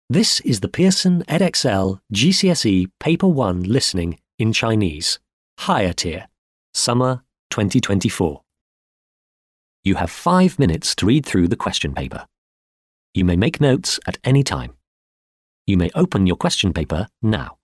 This is the Pearson Edexcel GCSE Paper 1 Listening in Chinese, Higher Tier, Summer 2024. You have 5 minutes to read through the question paper. You may make notes at any time. You may open your question paper now.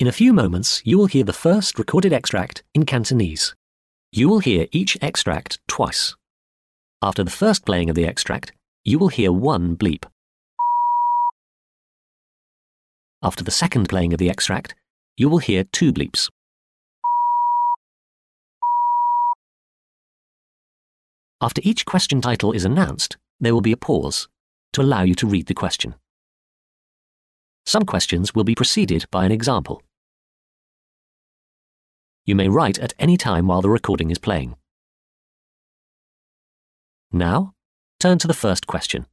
In a few moments, you will hear the first recorded extract in Cantonese. You will hear each extract twice. After the first playing of the extract, you will hear one bleep. After the second playing of the extract, you will hear two bleeps. After each question title is announced, there will be a pause to allow you to read the question. Some questions will be preceded by an example. You may write at any time while the recording is playing. Now, turn to the first question.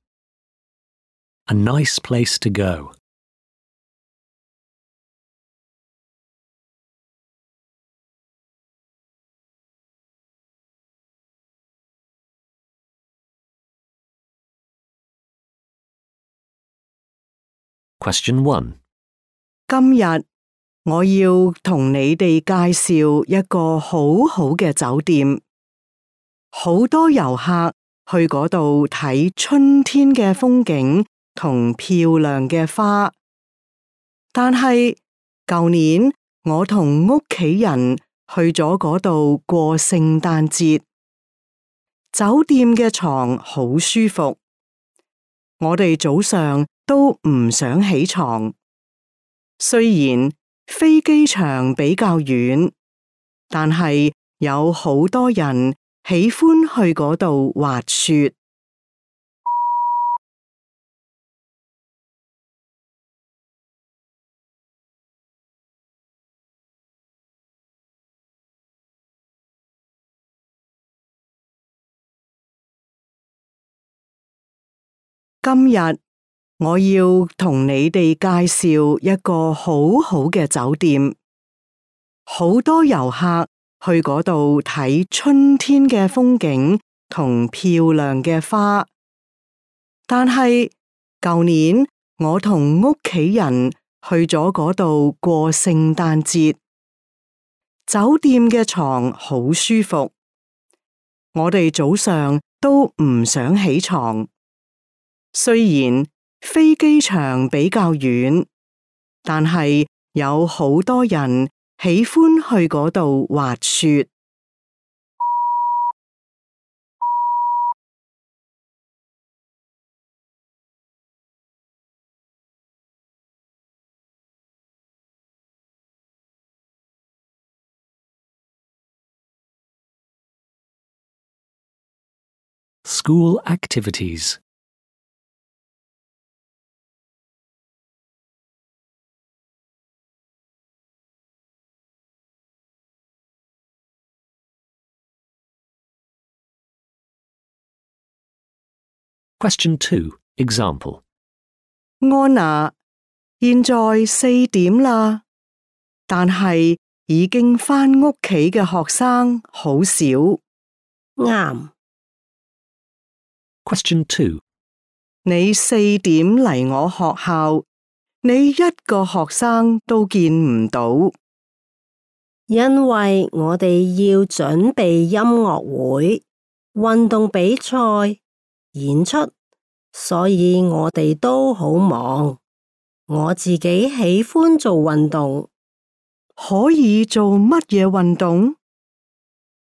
A nice place to go. Question 1. 今日我要同你哋介紹一個好好嘅酒店，好多遊客去嗰度睇春天嘅風景同漂亮嘅花。但係舊年我同屋企人去咗嗰度過聖誕節，酒店嘅床好舒服，我哋早上都唔想起床。雖然飛機場比較遠，但係有好多人喜歡去嗰度滑雪。今日我要同你哋介紹一個好好嘅酒店，好多遊客去嗰度睇春天嘅風景同漂亮嘅花。但係舊年我同屋企人去咗嗰度過聖誕節，酒店嘅床好舒服，我哋早上都唔想起床。雖然飛機場比較遠，但係有好多人喜歡去嗰度滑雪。School activities. Question 2. Example. 安娜，現在4點啦，但係已經返屋企嘅學生好少。啱。Question 2. 你4點嚟我學校，你一個學生都見唔到。因為我哋要準備音樂會、運動比賽、演出，所以我哋都好忙。我自己喜歡做運動。可以做乜嘢運動？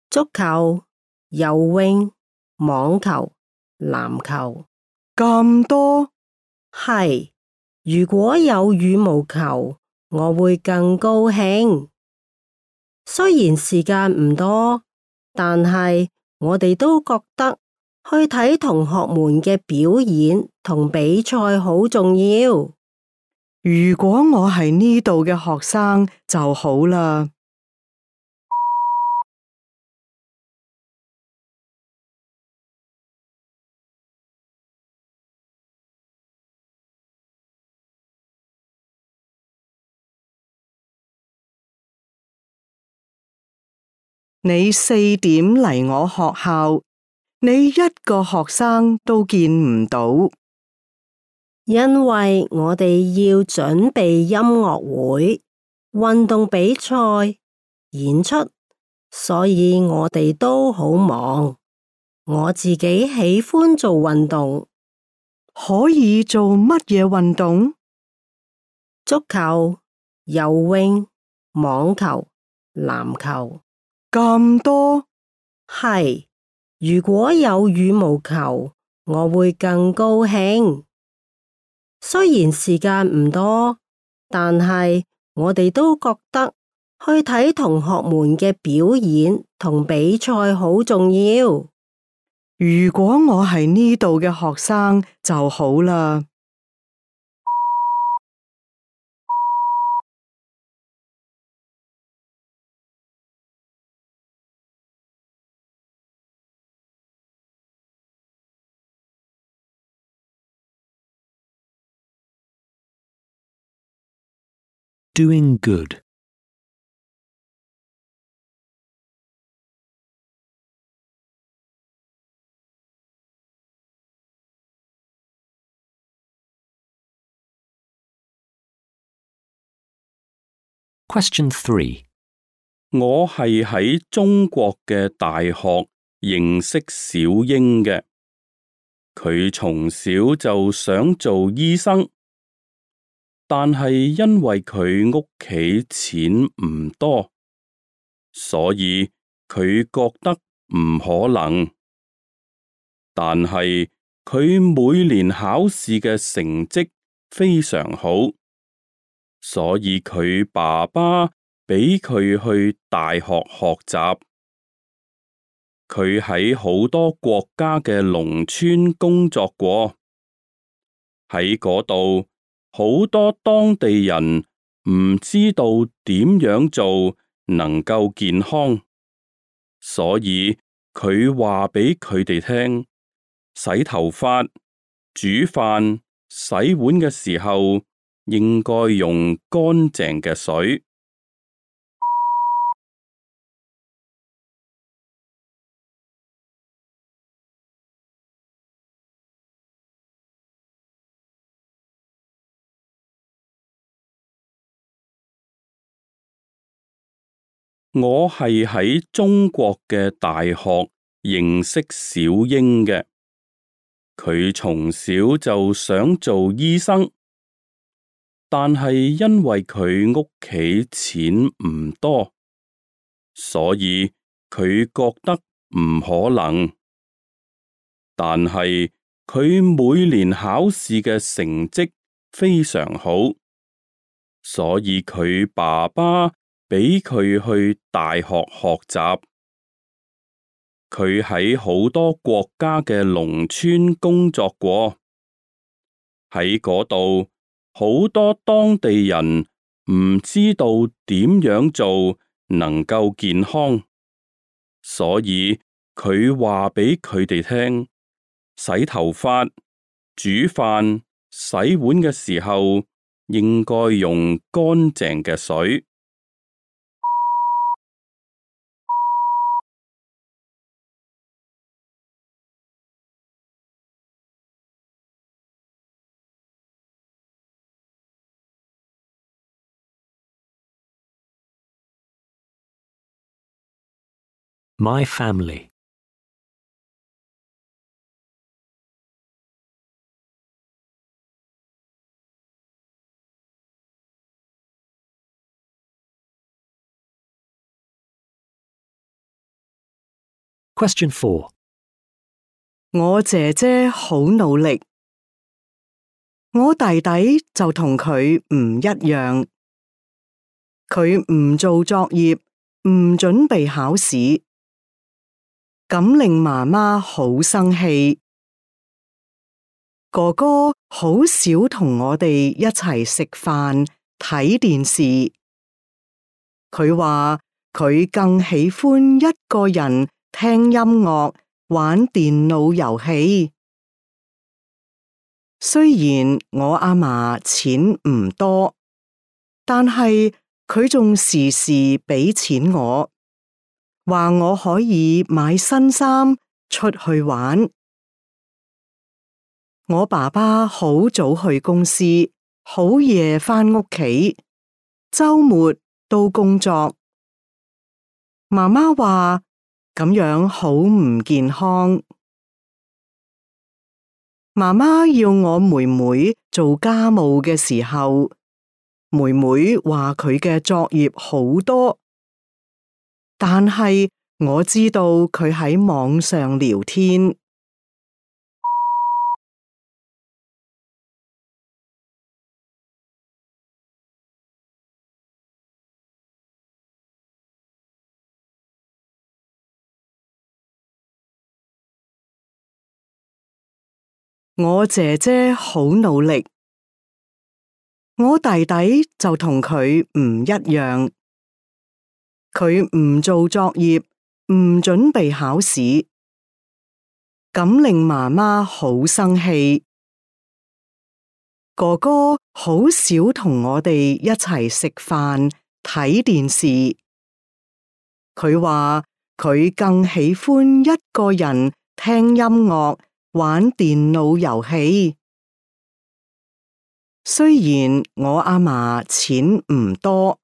足球、游泳、網球、籃球。咁多？係，如果有羽毛球，我會更高興。雖然時間唔多，但係我哋都覺得去睇同學們嘅表演同比賽好重要。如果我係呢度嘅學生就好啦。你4點嚟我學校，你一個學生都見唔到。因為我哋要準備音樂會、運動比賽、演出，所以我哋都好忙。我自己喜歡做運動。可以做乜嘢運動？足球、游泳、網球、籃球。咁多？係，如果有羽毛球，我會更高興。雖然時間唔多，但係我哋都覺得去睇同學們嘅表演同比賽好重要。如果我係呢度嘅學生就好啦。Doing good. Question 3. 我係喺中國嘅大學認識小英嘅，佢從小就想做醫生，但係因為佢屋企錢唔多，所以佢覺得唔可能。但係佢每年考試嘅成績非常好，所以佢爸爸俾佢去大學學習。佢喺好多國家嘅農村工作過，喺嗰度好多當地人唔知道點樣做能夠健康，所以佢話俾佢哋聽，洗頭髮、煮飯、洗碗嘅時候應該用乾淨嘅水。我係喺中國嘅大學認識小英嘅，佢從小就想做醫生，但係因為佢屋企錢唔多，所以佢覺得唔可能。但係佢每年考試嘅成績非常好，所以佢爸爸俾佢去大學學習。佢喺好多國家嘅農村工作過，喺嗰度好多當地人唔知道點樣做能夠健康，所以佢話俾佢哋聽，洗頭髮、煮飯、洗碗嘅時候應該用乾淨嘅水。My family. Question 4. 我姐姐好努力，我弟弟就同佢唔一樣，佢唔做作業，唔準備考試，咁令媽媽好生氣。哥哥好少同我哋一齊食飯、睇電視，佢話佢更喜歡一個人聽音樂、玩電腦遊戲。雖然我阿嫲錢唔多，但係佢仲時時俾錢我，話我可以買新衫出去玩。我爸爸好早去公司，好夜返屋企，週末都工作。媽媽話咁樣好唔健康。媽媽要我妹妹做家務嘅時候，妹妹話佢嘅作業好多，但係我知道佢喺網上聊天。我姐姐好努力，我弟弟就同佢唔一樣，佢唔做作業，唔準備考試，咁令媽媽好生氣。哥哥好少同我哋一齊食飯、睇電視，佢話佢更喜歡一個人聽音樂、玩電腦遊戲。雖然我阿嫲錢唔多，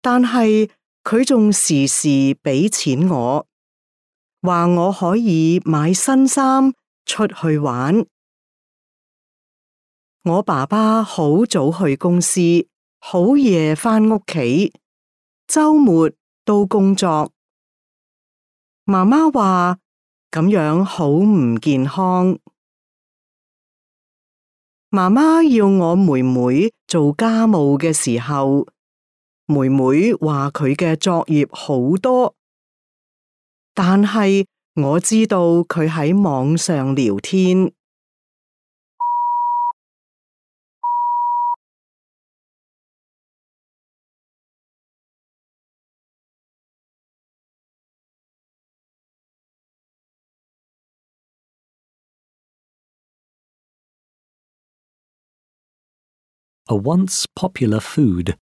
但係佢仲時時俾錢我，話我可以買新衫出去玩。我爸爸好早去公司，好夜返屋企，週末都工作。媽媽話咁樣好唔健康。媽媽要我妹妹做家務嘅時候，妹妹話佢嘅作業好多，但係我知道佢喺網上聊天。A once popular food.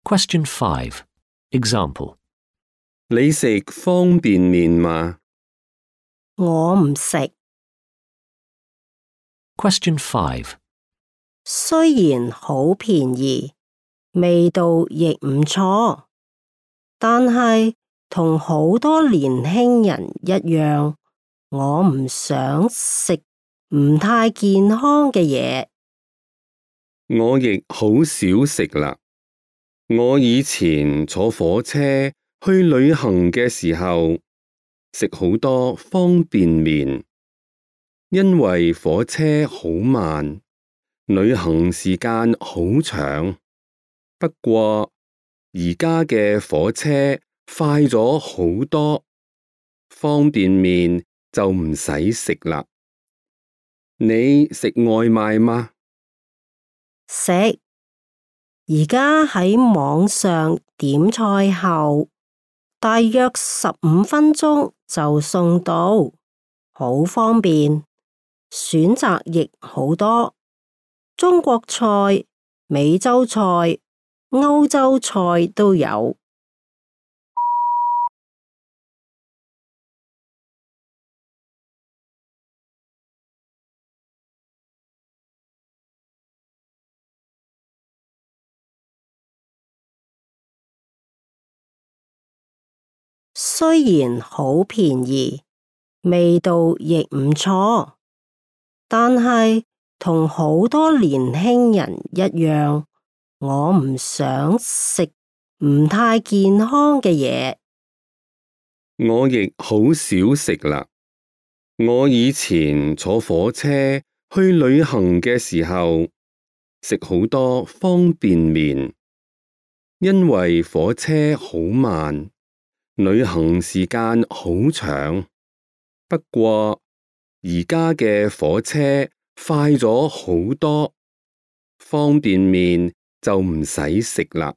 Question 5. Example. 你食方便麵嗎？我唔食。Question 5. 雖然好便宜，味道亦唔錯，但係同好多年輕人一樣，我唔想食唔太健康嘅嘢。我亦好少食啦。我以前坐火車去旅行嘅時候，食好多方便麵，因為火車好慢，旅行時間好長。不過而家嘅火車快咗好多，方便麵就唔使食啦。你食外賣嗎？食。而家喺網上點菜後，大約15分鐘就送到，好方便，選擇亦好多，中國菜、美洲菜、歐洲菜都有。雖然好便宜，味道亦唔錯，但係同好多年輕人一樣，我唔想食唔太健康嘅嘢。我亦好少食啦。我以前坐火車去旅行嘅時候，食好多方便麵，因為火車好慢，旅行時間好長。不過而家嘅火車快咗好多，方便麵就唔使食啦。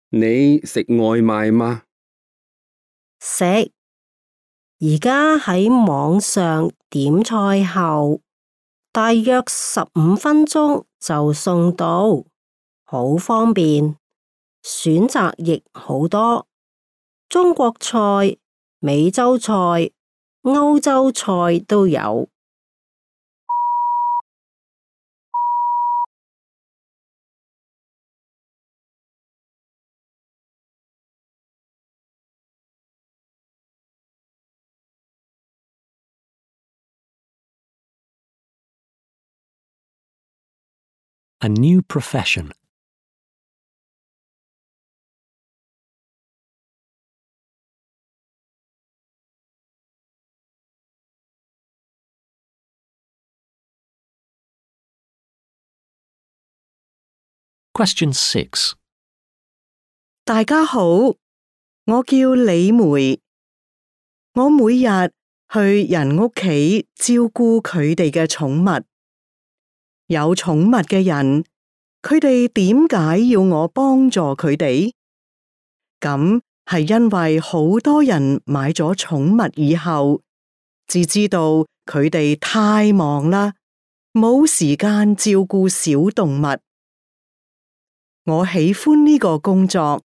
你食外賣嗎？食。而家喺網上點菜後，大約15分鐘就送到，好方便，選擇亦好多，中國菜、美洲菜、歐洲菜都有。A new profession. Question 6. 大家好，我叫李梅。我每日去人屋企照顧佢哋嘅寵物。有寵物嘅人，佢哋點解要我幫助佢哋？咁係因為好多人買咗寵物以後，至知道佢哋太忙啦，冇時間照顧小動物。我喜歡呢個工作，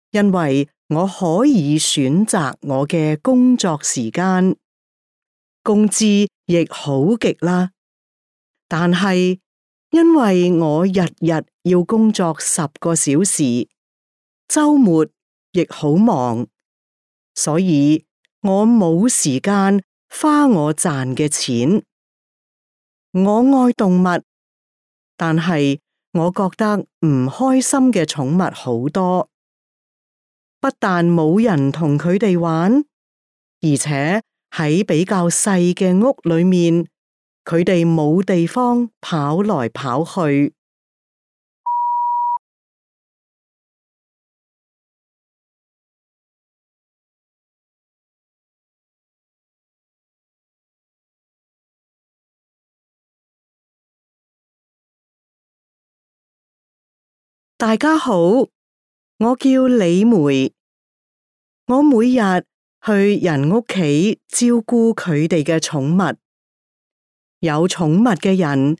因為我可以選擇我嘅工作時間，工資亦好極啦。但係因為我日日要工作10個小時，週末亦好忙，所以我冇時間花我賺嘅錢。我愛動物，但係我覺得唔開心嘅寵物好多，不但冇人同佢哋玩，而且喺比較細嘅屋裏面，佢哋冇地方跑來跑去。大家好，我叫李梅。我每日去人屋企照顧佢哋嘅寵物。有寵物嘅人，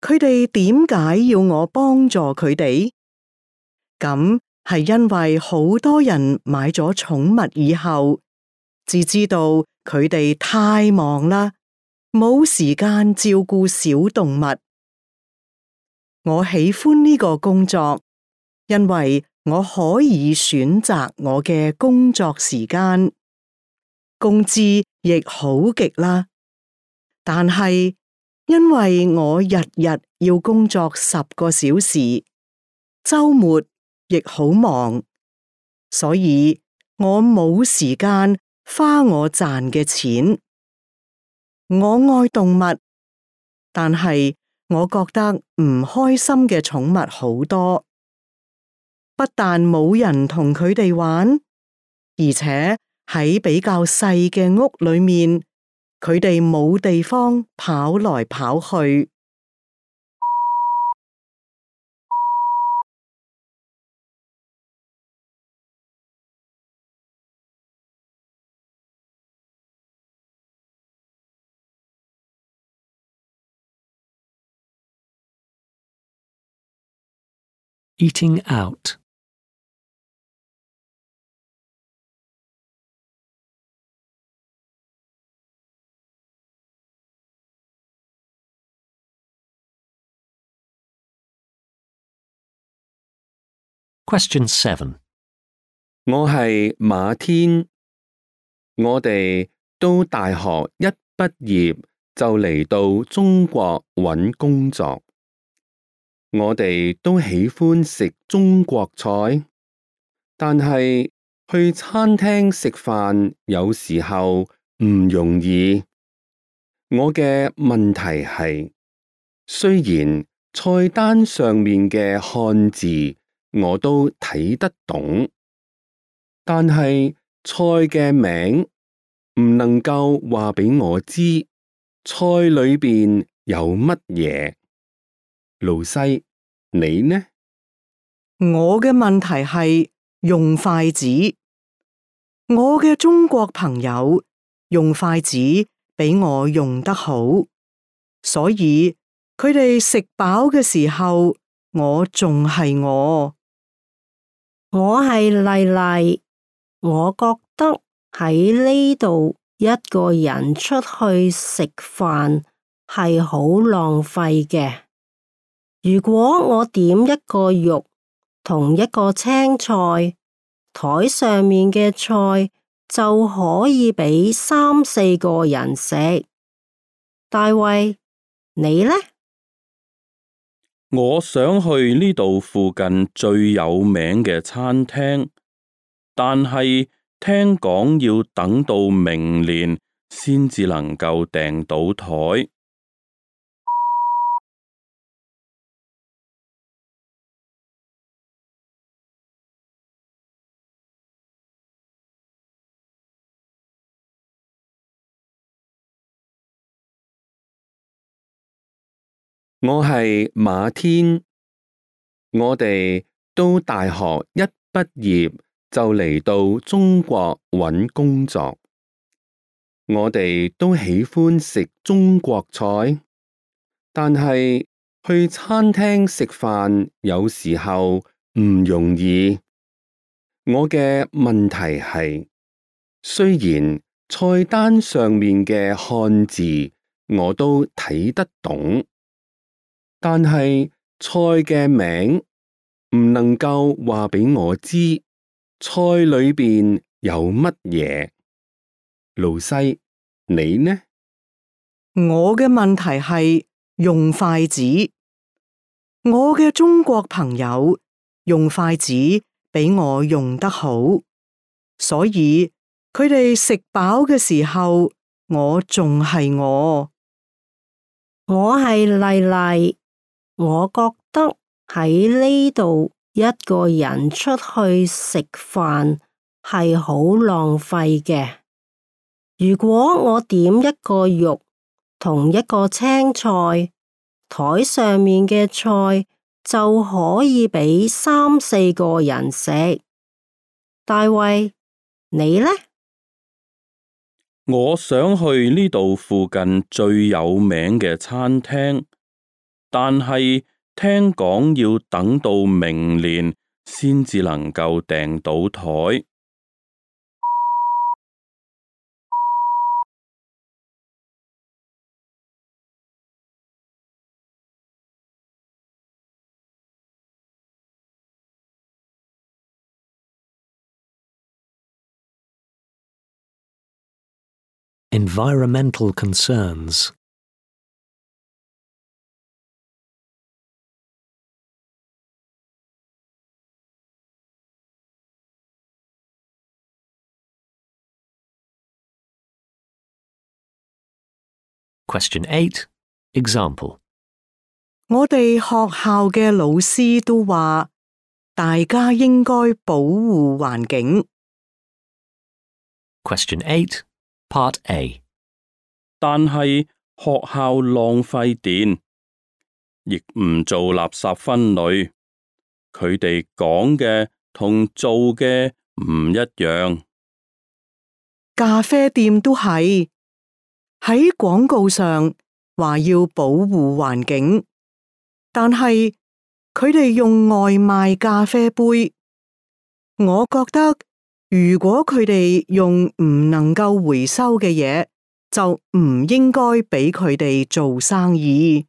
佢哋點解要我幫助佢哋？咁係因為好多人買咗寵物以後，至知道佢哋太忙啦，冇時間照顧小動物。我喜歡呢個工作，因為我可以選擇我嘅工作時間，工資亦好極啦。但係因為我日日要工作10個小時，週末亦好忙，所以我冇時間花我賺嘅錢。我愛動物，但係我覺得唔開心嘅寵物好多，不但冇人同佢哋玩，而且喺比較細嘅屋裏面，佢哋冇地方跑來跑去。Eating out. Question 7. 我係馬天，我哋都大學一畢業就嚟到中國揾工作。我哋都喜歡食中國菜，但係去餐廳食飯有時候唔容易。我嘅問題係，雖然菜單上面嘅漢字我都睇得懂，但係菜嘅名唔能夠話俾我知菜裏邊有乜嘢。老西，你呢？我嘅問題係用筷子。我嘅中國朋友用筷子比我用得好，所以佢哋食飽嘅時候，我仲係我。我係麗麗，我覺得喺呢度一個人出去食飯係好浪費嘅。如果我點一個肉同一個青菜，台上面嘅菜就可以俾3、4個人食。大衛，你呢？我想去呢度附近最有名嘅餐廳，但係聽講要等到明年先至能夠訂到枱。我係馬天，我哋都大學一畢業就嚟到中國揾工作。我哋都喜歡食中國菜，但係去餐廳食飯有時候唔容易。我嘅問題係，雖然菜單上面嘅漢字我都睇得懂，但係菜嘅名唔能夠話俾我知菜裏邊有乜嘢。老西，你呢？我嘅問題係用筷子。我嘅中國朋友用筷子比我用得好，所以佢哋食飽嘅時候，我仲係我。我係麗麗，我覺得喺呢度一個人出去食飯係好浪費嘅。如果我點一個肉同一個青菜，枱上面嘅菜就可以俾3、4個人食。大衛，你呢？我想去呢度附近最有名嘅餐廳，但係聽講要等到明年先至能夠訂到枱。Environmental concerns. Question 8. Example. 我哋學校嘅老師都話，大家應該保護環境。Question 8. Part A. 但係學校浪費電，亦唔做垃圾分類，佢哋講嘅同做嘅唔一樣。咖啡店都係喺廣告上話要保護環境，但係佢哋用外賣咖啡杯。我覺得如果佢哋用唔能夠回收嘅嘢，就唔應該俾佢哋做生意。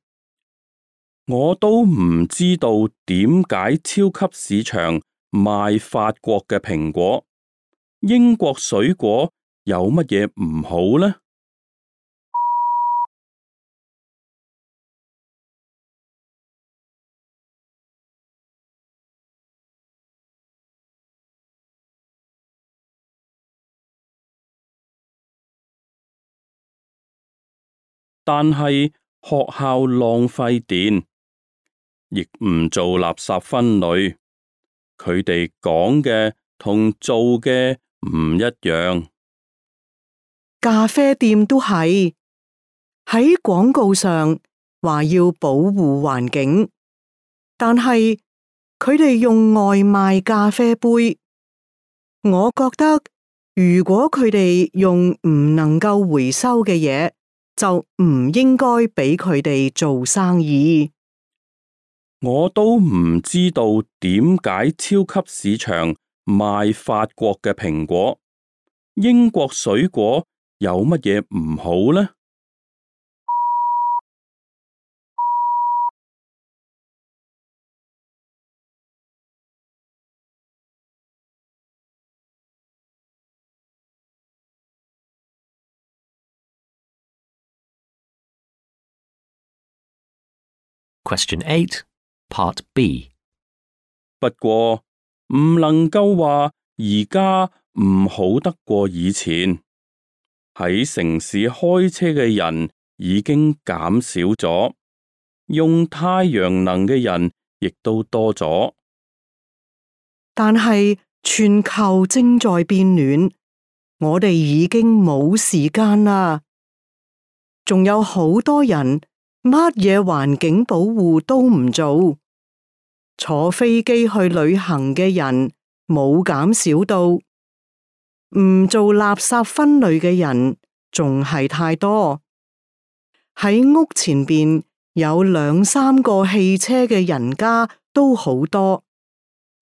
我都唔知道點解超級市場賣法國嘅蘋果，英國水果有乜嘢唔好呢？但係學校浪費電，亦唔做垃圾分類，佢哋講嘅同做嘅唔一樣。咖啡店都係喺廣告上話要保護環境，但係佢哋用外賣咖啡杯。我覺得如果佢哋用唔能夠回收嘅嘢，就唔應該俾佢哋做生意。我都唔知道點解超級市場賣法國嘅蘋果，英國水果有乜嘢唔好呢Question 8. Part B. 不過唔能夠話而家唔好得過以前。喺城市開車嘅人已經減少咗，用太陽能嘅人亦都多咗。但係全球正在變暖，我哋已經冇時間啦。仲有好多人乜嘢環境保護都唔做，坐飛機去旅行嘅人冇減少到，唔做垃圾分類嘅人仲係太多。喺屋前邊有2、3個汽車嘅人家都好多，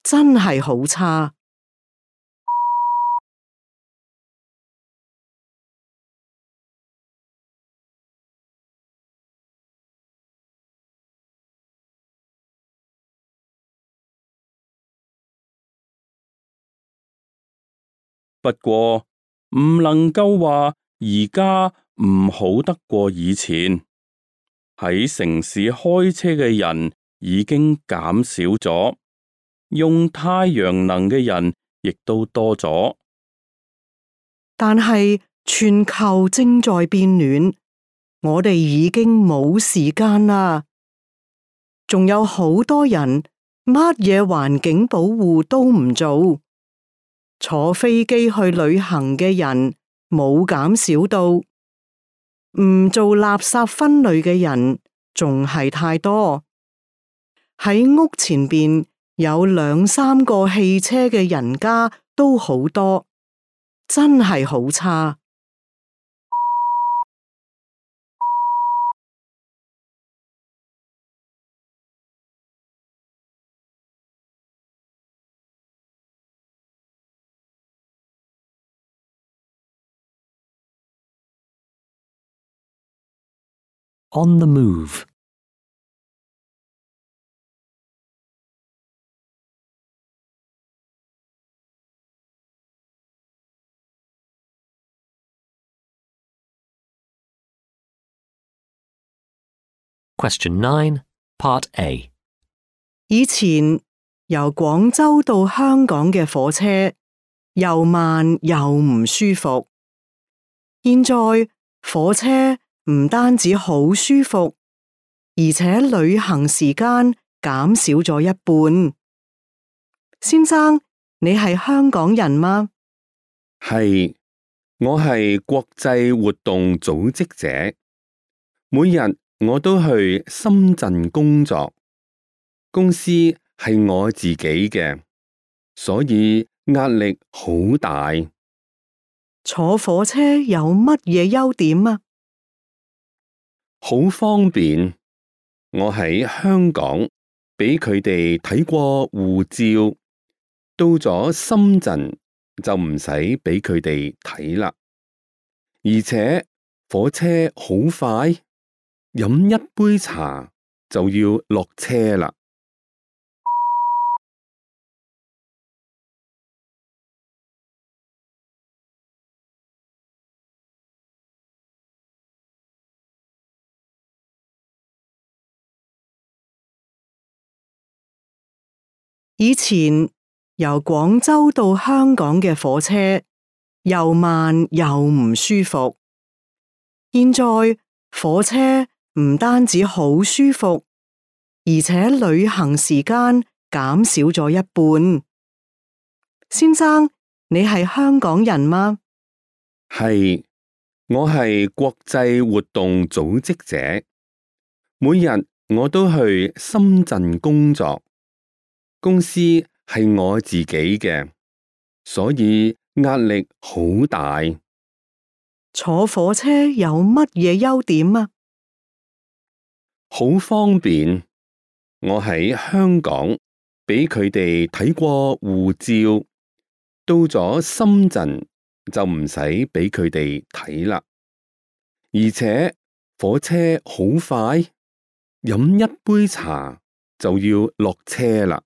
真係好差。不過唔能夠話而家唔好得過以前。喺城市開車嘅人已經減少咗，用太陽能嘅人亦都多咗。但係全球正在變暖，我哋已經冇時間啦。仲有好多人乜嘢環境保護都唔做，坐飛機去旅行嘅人冇減少到，唔做垃圾分類嘅人仲係太多。喺屋前邊有2、3個汽車嘅人家都好多，真係好差。On the move. Question 9, Part A. 以前由廣州到香港嘅火車又慢又唔舒服，現在火車唔單止好舒服，而且旅行時間減少咗一半。先生，你係香港人嗎？係，我係國際活動組織者，每日我都去深圳工作，公司係我自己嘅，所以壓力好大。坐火車有乜嘢優點啊？好方便，我喺香港俾佢哋睇過護照，到咗深圳就唔使俾佢哋睇啦。而且火車好快，飲一杯茶就要落車啦。以前由廣州到香港嘅火車又慢又唔舒服，現在火車唔單止好舒服，而且旅行時間減少咗一半。先生，你係香港人嗎？係，我係國際活動組織者，每日我都去深圳工作，公司係我自己嘅，所以壓力好大。坐火車有乜嘢優點啊？好方便，我喺香港俾佢哋睇過護照，到咗深圳就唔使俾佢哋睇啦。而且火車好快，飲一杯茶就要落車啦。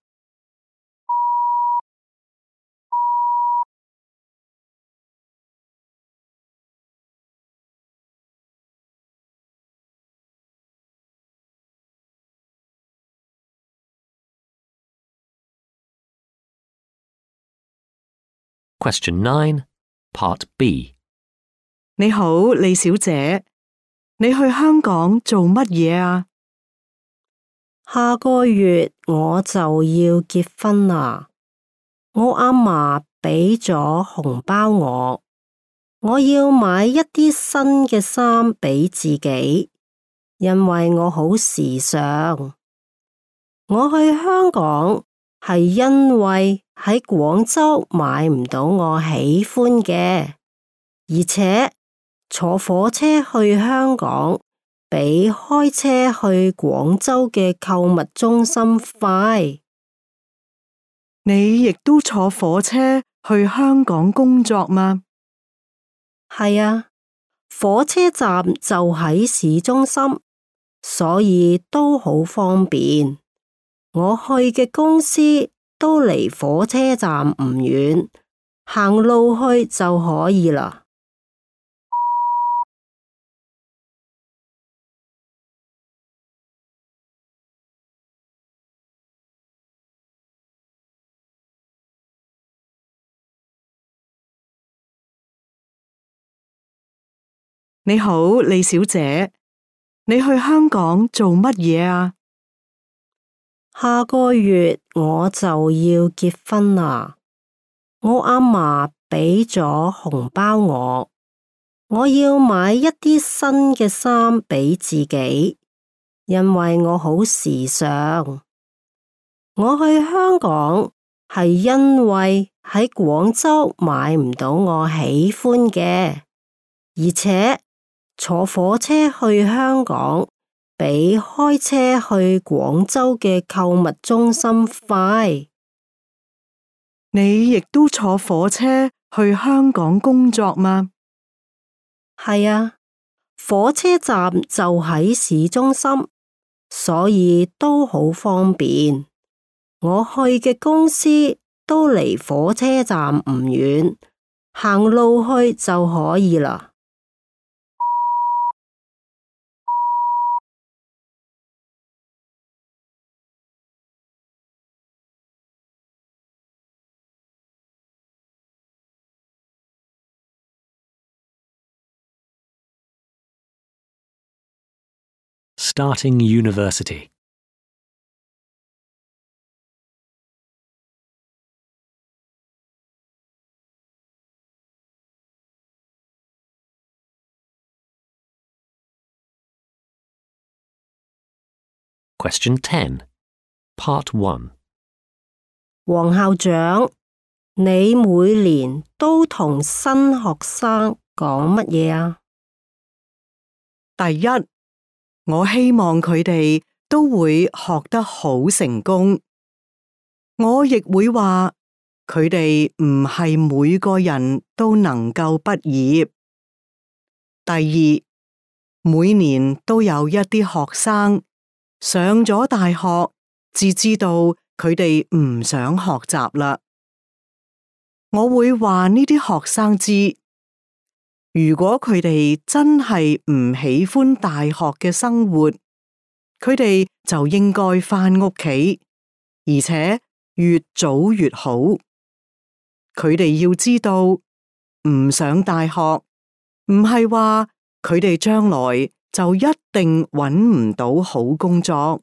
Question 9, Part B. 你好，李小姐，你去香港做乜嘢啊？下個月我就要結婚啦，我阿嫲畀咗紅包我要買一啲新嘅衫畀自己，因為我好時尚。我去香港係因為喺廣州買唔到我喜歡嘅，而且坐火車去香港比開車去廣州嘅購物中心快。你亦都坐火車去香港工作嗎？係啊，火車站就喺市中心，所以都好方便。我去嘅公司都離火車站唔遠，行路去就可以啦。你好，李小姐，你去香港做乜嘢啊？下個月我就要結婚啦，我阿嫲畀咗紅包我要買一啲新嘅衫畀自己，因為我好時尚。我去香港係因為喺廣州買唔到我喜歡嘅，而且坐火車去香港比開車去廣州嘅購物中心快。你亦都坐火車去香港工作嗎？係啊，火車站就喺市中心，所以都好方便。我去嘅公司都離火車站唔遠，行路去就可以啦。Starting University. Question 10, Part 1. 黃校長，你每年都同新學生講乜嘢啊？第一，我希望佢哋都會學得好成功。我亦會話佢哋唔係每個人都能夠畢業。第二，每年都有一啲學生上咗大學，至知道佢哋唔想學習啦。我會話呢啲學生知，如果佢哋真係唔喜歡大學嘅生活，佢哋就應該返屋企，而且越早越好。佢哋要知道，唔上大學唔係話佢哋將來就一定搵唔到好工作。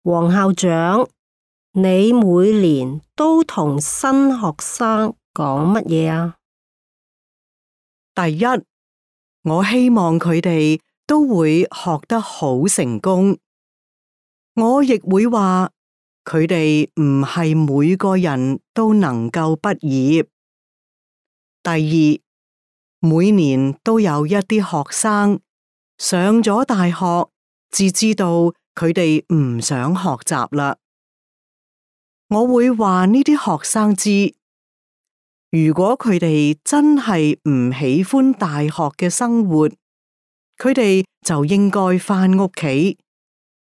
黃校長，你每年都同新學生講乜嘢啊？第一，我希望佢哋都會學得好成功。我亦會話佢哋唔係每個人都能夠畢業。第二，每年都有一啲學生上咗大學，至知道佢哋唔想學習啦。我會話呢啲學生知，如果佢哋真係唔喜歡大學嘅生活，佢哋就應該返屋企，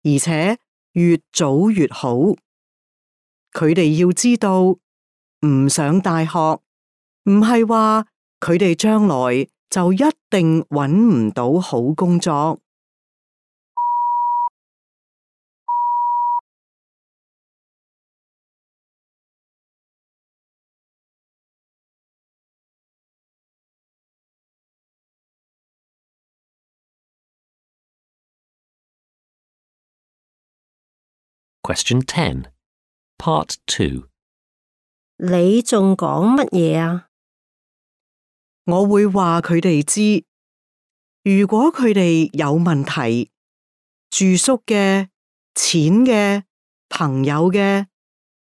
而且越早越好。佢哋要知道，唔上大學，唔係話佢哋將來就一定揾唔到好工作。Question 10, Part 2. 你仲講乜嘢啊？我會話佢哋知，如果佢哋有問題，住宿嘅、錢嘅、朋友嘅，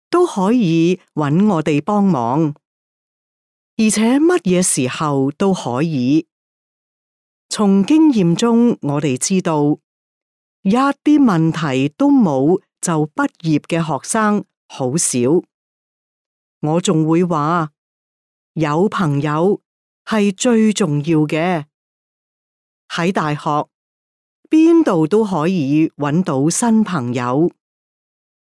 都可以揾我哋幫忙，而且乜嘢時候都可以。從經驗中，我哋知道，一啲問題都冇就畢業嘅學生好少。我仲會話，有朋友係最重要嘅。喺大學，邊度都可以揾到新朋友。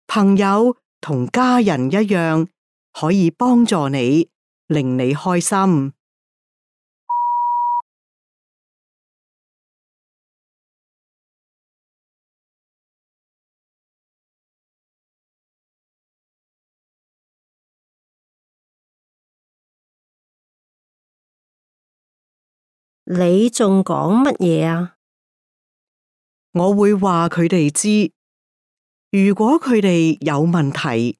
朋友同家人一樣，可以幫助你，令你開心。你仲講乜嘢啊？我會話佢哋知，如果佢哋有問題，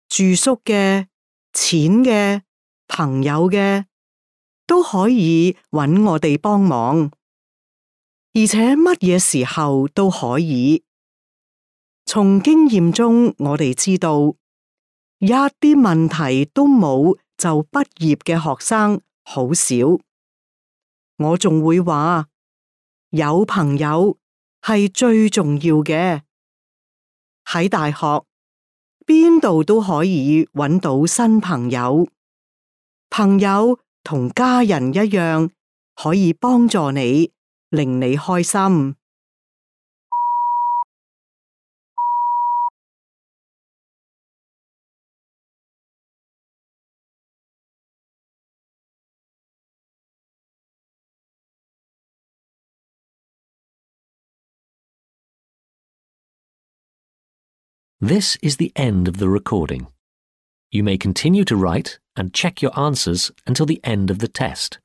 住宿嘅、錢嘅、朋友嘅，都可以揾我哋幫忙，而且乜嘢時候都可以。從經驗中，我哋知道，一啲問題都冇就畢業嘅學生好少。我仲會話，有朋友係最重要嘅。喺大學，邊度都可以揾到新朋友。朋友同家人一樣，可以幫助你，令你開心。This is the end of the recording. You may continue to write and check your answers until the end of the test.